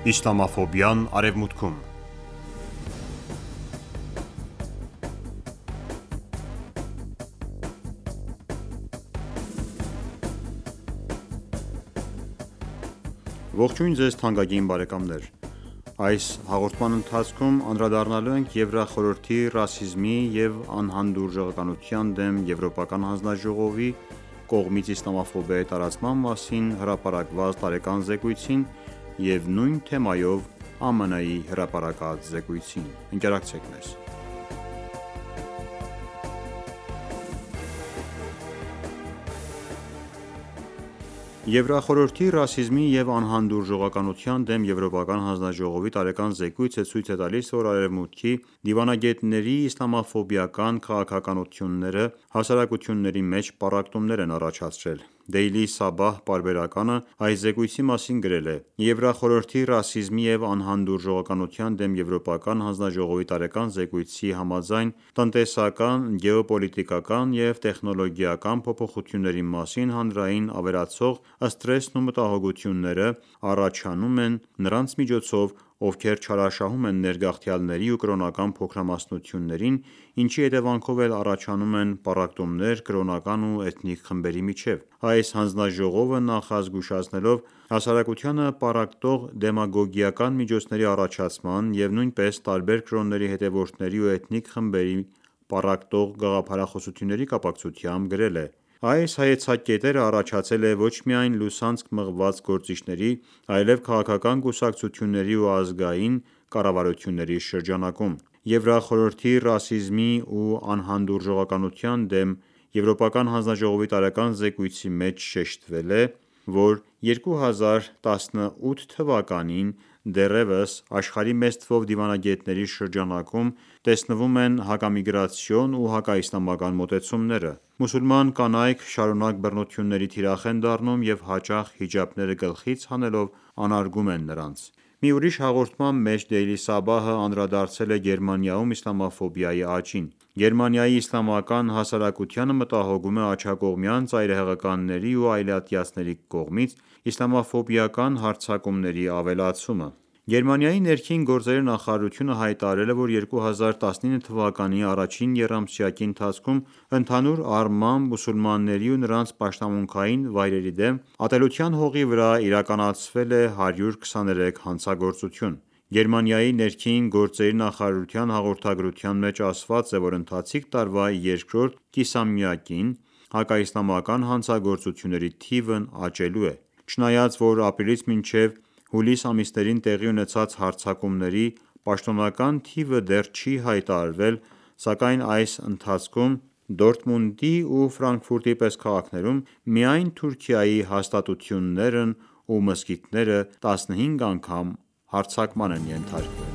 Իսլամաֆոբիան Արևմուտքում Ողջույն ձեզ թանկագին բարեկամներ: Այս հաղորդման ընթացքում անդրադառնալու ենք Եվրախորհրդի ռասիզմի և անհանդուրժողականության դեմ Եվրոպական հանձնաժողովի կողմից իսլամաֆոբիայի տարածման մասին հրապարակված տարեկան զեկույցին և նույն թեմայով ԱՄՆ-ի հրապարակած զեկույցին: Ընկերակցեք մեզ: Եվրախորհրդի ռասիզմի և անհանդուրժողականության դեմ Եվրոպական հանձնաժողովի տարեկան զեկույցը ցույց է տալիս, որ Արևմուտքի դիվանագետների իսլամաֆոբիական քաղաքականությունները հասարակությունների մեջ պառակտումներ են առաջացրել: Daily Sabah պարբերականը այս զեկույցի մասին գրել է. «Եվրախորհրդի ռասիզմի և անհանդուրժողականության դեմ Եվրոպական հանձնաժողովի տարեկան զեկույցի համաձայն, տնտեսական, գեոպոլիտիկական և տեխնոլոգիական փոփոխությունների մասին հանրային ավերածող սթրեսն ու մտահոգությունները առաջանում են նրանց միջոցով, ովքեր չարաշահում են ներգաղթյալների ու կրոնական փոքրամասնություններին, ինչի հետևանքով էլ առաջանում են պառակտումներ կրոնական ու էթնիկ խմբերի միջև: Այս հանձնաժողովը նախազգուշացնելով հասարակությանը պառակտող դեմագոգիական միջոցների առաջացման և նույնպես տարբեր կրոնների հետևորդների ու էթնիկ խմբերի պառակտող գաղափարախոսությունների կապակցությամբ գրել է. «Այս հայեցակետերը առաջացել է ոչ միայն լուսանցք մղված գործիչների, այլև քաղաքական կուսակցությունների ու ազգային կառավարությունների շրջանակում: Եվրախորհրդի ռասիզմի ու անհանդուրժողականության դեմ Եվրոպական հանձնաժողովի տարեկան զեկույցի մեջ շեշտվել է, որ 2018 թվականին դեռևս աշխարհի մեծ թվով դիվանագետների շրջանակում տեսնվում են հակամիգրացիոն ու հակաիսլամական մոտեցումները: Մուսուլման կանայք շարունակ բռնությունների թիրախ են դառնում և հաճախ հիջաբները գլխից հանելով անարգում են նրանց»: Մի ուրիշ հաղորդման մեջ Daily Sabah-ը անդրադարձել է Գերմանիայում իսլամաֆոբիայի աճին: Գերմանիայի իսլամական հասարակությանը մտահոգում է աջակողմյան ծայրահեղականների ու այլատյացների կողմից իսլամաֆոբիական հարձակումների ավելացումը: Գերմանիայի ներքին գործերի նախարարությունը հայտարարել է, որ 2019 թվականի առաջին եռամսյակի ընթացքում ընդհանուր առմամբ մուսուլմանների ու նրանց պաշտամունքային վայրերի դեմ ատելության հողի վրա իրականացվել է 123 հանցագործություն: Գերմանիայի ներքին գործերի նախարարության հաղորդագրության մեջ ասված է, որ ընթացիկ տարվա երկրորդ կիսամյակին հակաիսլամական հանցագործությունների թիվն աճելու է: Չնայած որ ապրիլից մինչև հուլիս ամիսներին տեղի ունեցած հարձակումների պաշտոնական թիվը դեռ չի հայտարարվել, սակայն այս ընթացքում Դորտմունդի ու Ֆրանկֆուրտի պես քաղաքներում միայն Թուրքիայի հաստատություններն ու մզկիթները 15 անգամ հարձակման են ենթարկվել: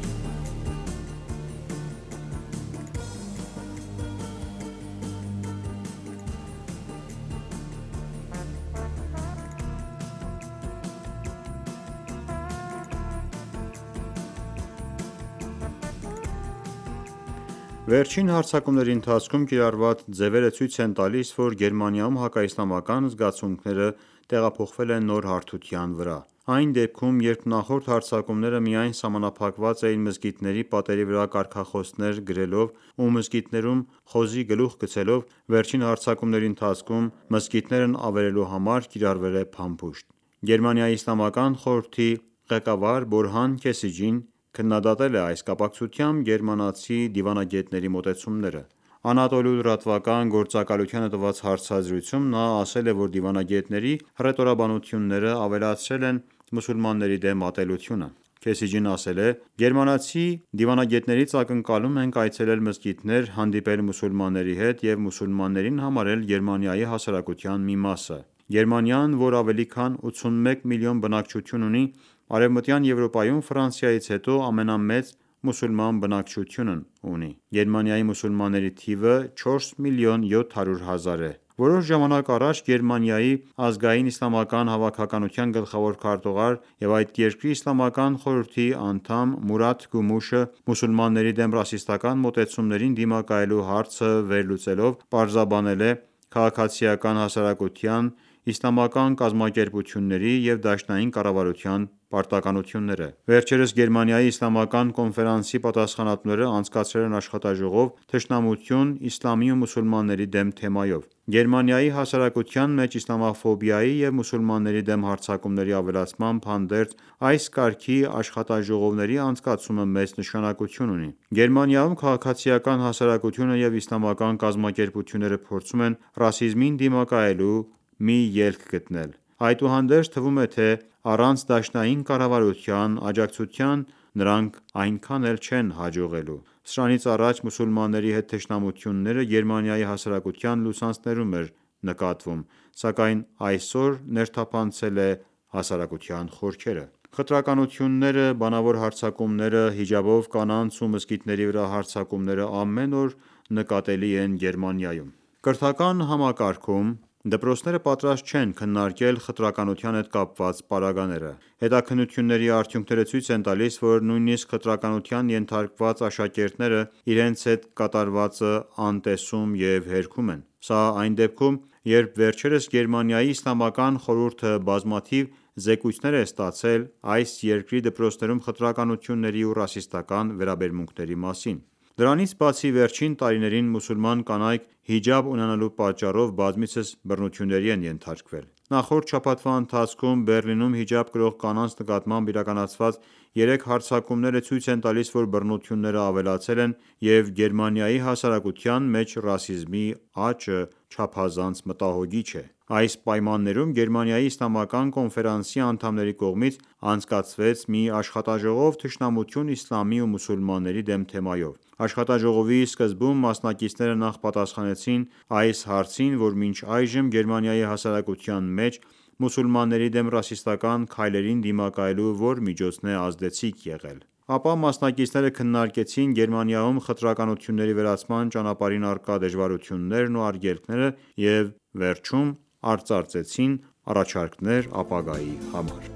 Վերջին հարձակումների ընթացքում կիրառված ձևերը ցույց են տալիս, որ Գերմանիայում հակաիսլամական զգացմունքները տեղափոխվել են նոր հարթության վրա: Այն դեպքում, երբ նախորդ հարձակումները միայն սահմանափակված էին մզկիթների պատերի վրա կարգախոսներ գրելով ու մզկիթներում խոզի գլուխ գցելով, վերջին հարձակումների ընթացքում մզկիթներն ավերելու համար կիրառվել է փամփուշտ: Գերմանիայի իսլամական խորհրդի ղեկավար Բորհան Քեսիջին քննադատել է այս կապակցությամբ գերմանացի դիվանագետների մոտեցումները: Անատոլու լրատվական գործակալությանը տված հարցազրույցում նա ասել է, որ դիվանագետների հռետորաբանությունները ավելացրել են մուսուլմանների դեմ ատելությունը: Քեսիջին ասել է. «Գերմանացի դիվանագետներից ակնկալում ենք այցելել մզկիթներ, հանդիպել մուսուլմանների հետ և մուսուլմաններին համարել Գերմանիայի հասարակության մի մասը: Գերմանիան, որ ավելի քան 81 միլիոն բնակչություն ունի, Արևմտյան Եվրոպայում Ֆրանսիայից հետո ամենամեծ մուսուլման բնակչությունն ունի: Գերմանիայի մուսուլմանների թիվը 4 միլիոն 700 հազար է: Որոշ ժամանակ առաջ Գերմանիայի ազգային իսլամական հավաքականության գլխավոր քարտուղար և այդ երկրի Իսլամական խորհրդի անդամ Մուրաթ Գումուշը մուսուլմանների դեմ ռասիստական մոտեցումներին դիմակայելու հարցը վերլուծելով պարզաբանել է. «Քաղաքացիական հասարակության իսլամական կազմակերպությունների և դաշնային կառավարության պարտականությունները։ Վերջերս Գերմանիայի իսլամական կոնֆերանսի պատասխանատուները անցկացրել են աշխատաժողով «Թշնամություն իսլամի ու մուսուլմանների դեմ» թեմայով։ Գերմանիայի հասարակության մեջ իսլամաֆոբիայի և մուսուլմանների դեմ հարձակումների ավելացմամբ հանդերձ, այս կարգի աշխատաժողովների անցկացումը մեծ նշանակություն ունի։ Գերմանիայում քաղաքացիական հասարակությունը և իսլամական կազմակերպությունները փորձում են ռասիզմին դիմակայելու մի ելք գտնել։ Այդուհանդերձ, թվում է, թե առանց դաշնային կառավարության աջակցության նրանք այնքան էլ չեն հաջողելու։ Սրանից առաջ մուսուլմանների հետ թշնամությունները Գերմանիայի հասարակության լուսանցներում էր նկատվում, սակայն այսօր ներթափանցել է հասարակության խորքերը։ Խտրականությունները, բանավոր հարձակումները, հիջաբով կանանց ու մզկիթների վրա հարձակումները ամեն օր նկատելի են Գերմանիայում։ Կրթական համակարգում դպրոցները պատրաստ չեն քննարկել խտրականության հետ կապված պարագաները։ Հետաքննությունների արդյունքները ցույց են տալիս, որ նույնիսկ խտրականության ենթարկված աշակերտները իրենց հետ կատարվածը անտեսում և հերքում են։ Սա այն դեպքում, երբ վերջերս Գերմանիայի իսլամական խորհուրդը բազմաթիվ զեկույցներ է ստացել այս երկրի դպրոցներում խտրականությունների ու ռասիստական վերաբերմունքների մասին։ Դրանից բացի, վերջին տարիներին մուսուլման կանայք հիջաբ ունենալու պատճառով բազմիցս բռնությունների են ենթարկվել։ Նախորդ շաբաթվա ընթացքում Բեռլինում հիջաբ կրող կանանց նկատմամբ իրականացված 3 հարձակումները ցույց են տալիս, որ բռնությունները ավելացել են, և Գերմանիայի հասարակության մեջ ռասիզմի աճը չափազանց մտահոգիչ է։ Այս պայմաններում Գերմանիայի իսլամական կոնֆերանսի անդամների կողմից անցկացվեց մի աշխատաժողով «Թշնամություն իսլամի ու մուսուլմանների դեմ» թեմայով։ Աշխատաժողովի սկզբում մասնակիցները նախ պատասխանեցին այս հարցին, որ մինչ այժմ Գերմանիայի հասարակության մեջ մուսուլմանների դեմ ռասիստական քայլերին դիմակայելու որ միջոցն է ազդեցիկ եղել։ Ապա մասնակիցները քննարկեցին Գերմանիայում խտրականությունների վերացման ճանապարհին առկա դժվարություններն ու արգելքները և վերջում արծարծեցին առաջարկներ ապագայի համար։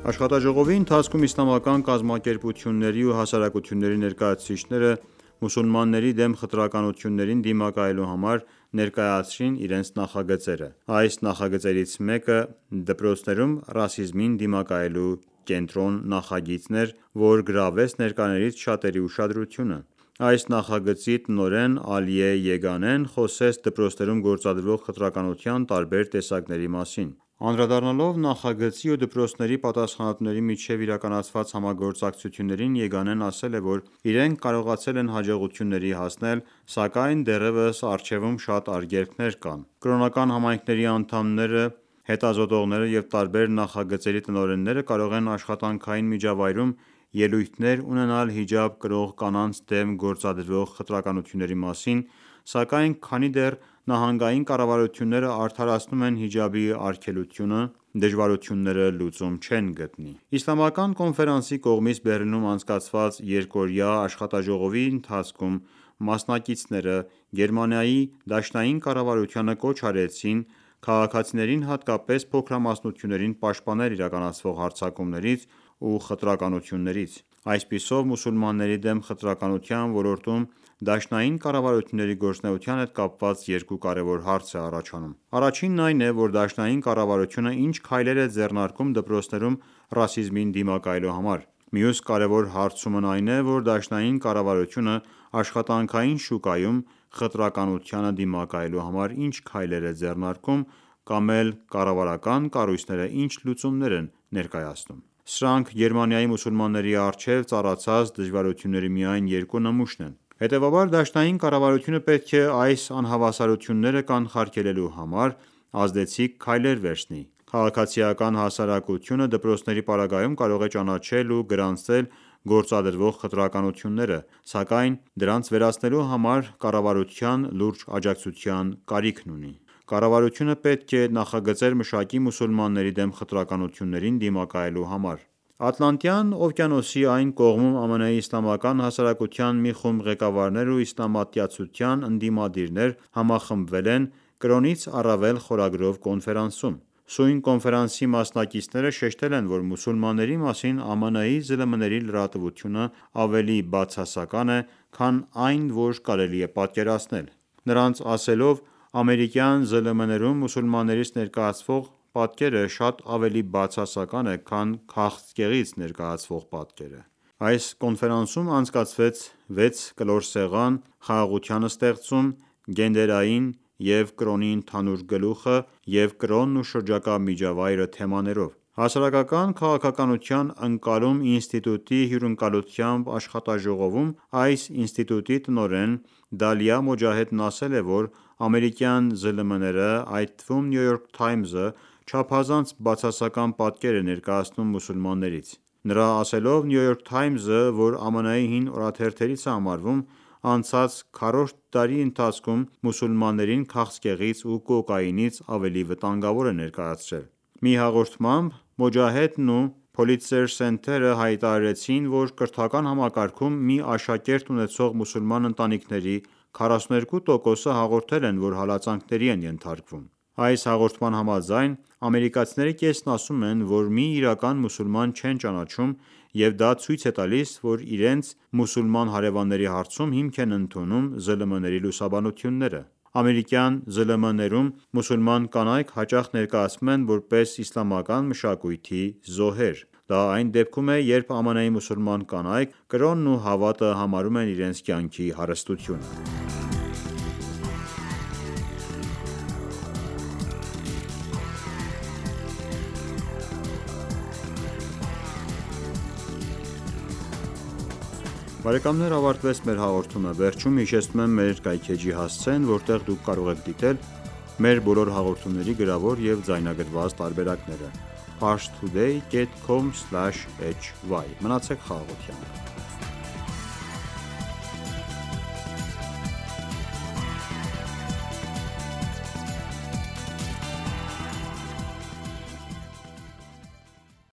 Աշխատաժողովի ընթացքում իսլամական կազմակերպությունների ու հասարակությունների ներկայացուցիչները մուսուլմանների դեմ խտրականություններին դիմակայելու համար ներկայացրին իրենց նախագծերը։ Այս նախագծերից մեկը դպրոցներում ռասիզմին դիմակայելու կենտրոն նախագիծն էր, որ գրավեց ներկաներից շատերի ուշադրությունը։ Այս նախագծի տնօրեն Ալիե Եգանեն խոսեց դպրոցներում գործադրվող խտրականության տարբեր տեսակների մասին։ Անդրադառնալով նախագծի ու դպրոցների պատասխանատուների միջև իրականացված համագործակցություններին, Եգանեն ասել է, որ իրենք կարողացել են հաջողությունների հասնել, սակայն դեռևս առջևում շատ արգելքներ կան։ Կրոնական համայնքների անդամները, հետազոտողները և տարբեր նախագծերի տնօրենները կարող են աշխատանքային միջավայրում ելույթներ ունենալ հիջաբ կրող կանանց դեմ գործադրվող խտրականությունների մասին, սակայն քանի դեռ նահանգային կառավարությունները արդարացնում են հիջաբի արգելությունը, դժվարությունները լուծում չեն գտնի։ Իսլամական կոնֆերանսի կողմից Բեռլինում անցկացված երկօրյա աշխատաժողովի ընթացքում մասնակիցները Գերմանիայի դաշնային կառավարությանը կոչ արեցին քաղաքացիներին, հատկապես փոքրամասնություններին պաշտպանել իրականացվող հարձակումներից ու խտրականություններից։ Այսպիսով, մուսուլմանների դեմ խտրականության ոլորտում դաշնային կառավարությունների գործունեության հետ կապված երկու կարևոր հարց է առաջանում։ Առաջինն այն է, որ դաշնային կառավարությունը ինչ քայլեր է ձեռնարկում դպրոցներում ռասիզմին դիմակայելու համար։ Մյուս կարևոր հարցումն այն է, որ դաշնային կառավարությունը աշխատանքային շուկայում խտրականությանը դիմակայելու համար ինչ քայլեր է ձեռնարկում կամ էլ կառավարական կառույցները ինչ լուծումներ են ներկայացնում։ Սրանք Գերմանիայի մուսուլմանների առջև ծառացած դժվարությունների միայն երկու նմուշն են։ Հետևաբար, դաշնային կառավարությունը պետք է այս անհավասարությունները կանխարգելելու համար ազդեցիկ քայլեր վերցնի։ Քաղաքացիական հասարակությունը դպրոցների պարագայում կարող է ճանաչել ու գրանցել գործադրվող խտրականությունները, սակայն դրանց վերացնելու համար կառավարության լուրջ աջակցության կարիքն ունի։ Կառավարությունը պետք է նախագծեր մշակի մուսուլմանների դեմ խտրականություններին դիմակայելու համար: Ատլանտյան օվկիանոսի այն կողմում ԱՄՆ-ի իսլամական հասարակության մի խումբ ղեկավարներ ու իսլամատյացության ընդդիմադիրներ համախմբվել են «Կրոնից առավել» խորագրով կոնֆերանսում: Սույն կոնֆերանսի մասնակիցները շեշտել են, որ մուսուլմանների մասին ԱՄՆ-ի ԶԼՄ-ների լրատվությունը ավելի բացասական է, քան այն, որ կարելի է պատկերացնել: Նրանց ասելով, ամերիկյան ԶԼՄ-ներում մուսուլմաններից ներկայացվող պատկերը շատ ավելի բացասական է, քան քաղցկեղից ներկայացվող պատկերը: Այս կոնֆերանսում անցկացվեց 6 կլոր սեղան «Խաղաղության ստեղծում, գենդերային և կրոնի ընդհանուր գլուխը և կրոնն ու շրջակա միջավայրը» թեմաներով: Հասարակական քաղաքականության ընկալում ինստիտուտի հյուրընկալությամբ աշխատաժողովում այս ինստիտուտի տնօրեն Դալիա Մոջահեդն ասել է, որ ամերիկյան ԶԼՄ-ները, այդ թվում New York Times-ը, չափազանց բացասական պատկեր է ներկայացնում մուսուլմաններից: Նրա ասելով, New York Times-ը, որ ԱՄՆ-ի հին օրաթերթերից է համարվում, անցած քառորդ դարի ընթացքում մուսուլմաններին քաղցկեղից ու կոկաինից ավելի վտանգավոր է ներկայացրել: Մի հաղորդմամբ Մոջահեդն ու Pulitzer Center-ը հայտարարեցին, որ կրթական համակարգում մի աշակերտ ունեցող մուսուլման ընտանիքների 42%-ը հաղորդել են, որ հալածանքների են ենթարկվում: Այս հաղորդման համաձայն, ամերիկացիների կեսն ասում են, որ մի իրական մուսուլման չեն ճանաչում և դա ցույց է տալիս, որ իրենց մուսուլման հարևանների հարցում հիմք են ընդունում ԶԼՄ-ների լուսաբանությունները: Ամերիկյան ԶԼՄ-ներում մուսուլման կանայք հաճախ ներկայացվում են որպես իսլամական մշակույթի զոհեր: Դա այն դեպքում է, երբ ԱՄՆ-ի մուսուլման կանայք կրոնն ու հավատը համարում են իրենց կյանքի հարստությունը: Բարեկամներ, ավարտվեց մեր հաղորդումը: Վերջում հիշեցնում եմ մեր կայքէջի հասցեն, որտեղ դուք կարող եք դիտել մեր բոլոր հաղորդումների գրավոր և ձայնագրված տարբերակները: Parstoday.com/hy Մնացեք խաղաղությամբ: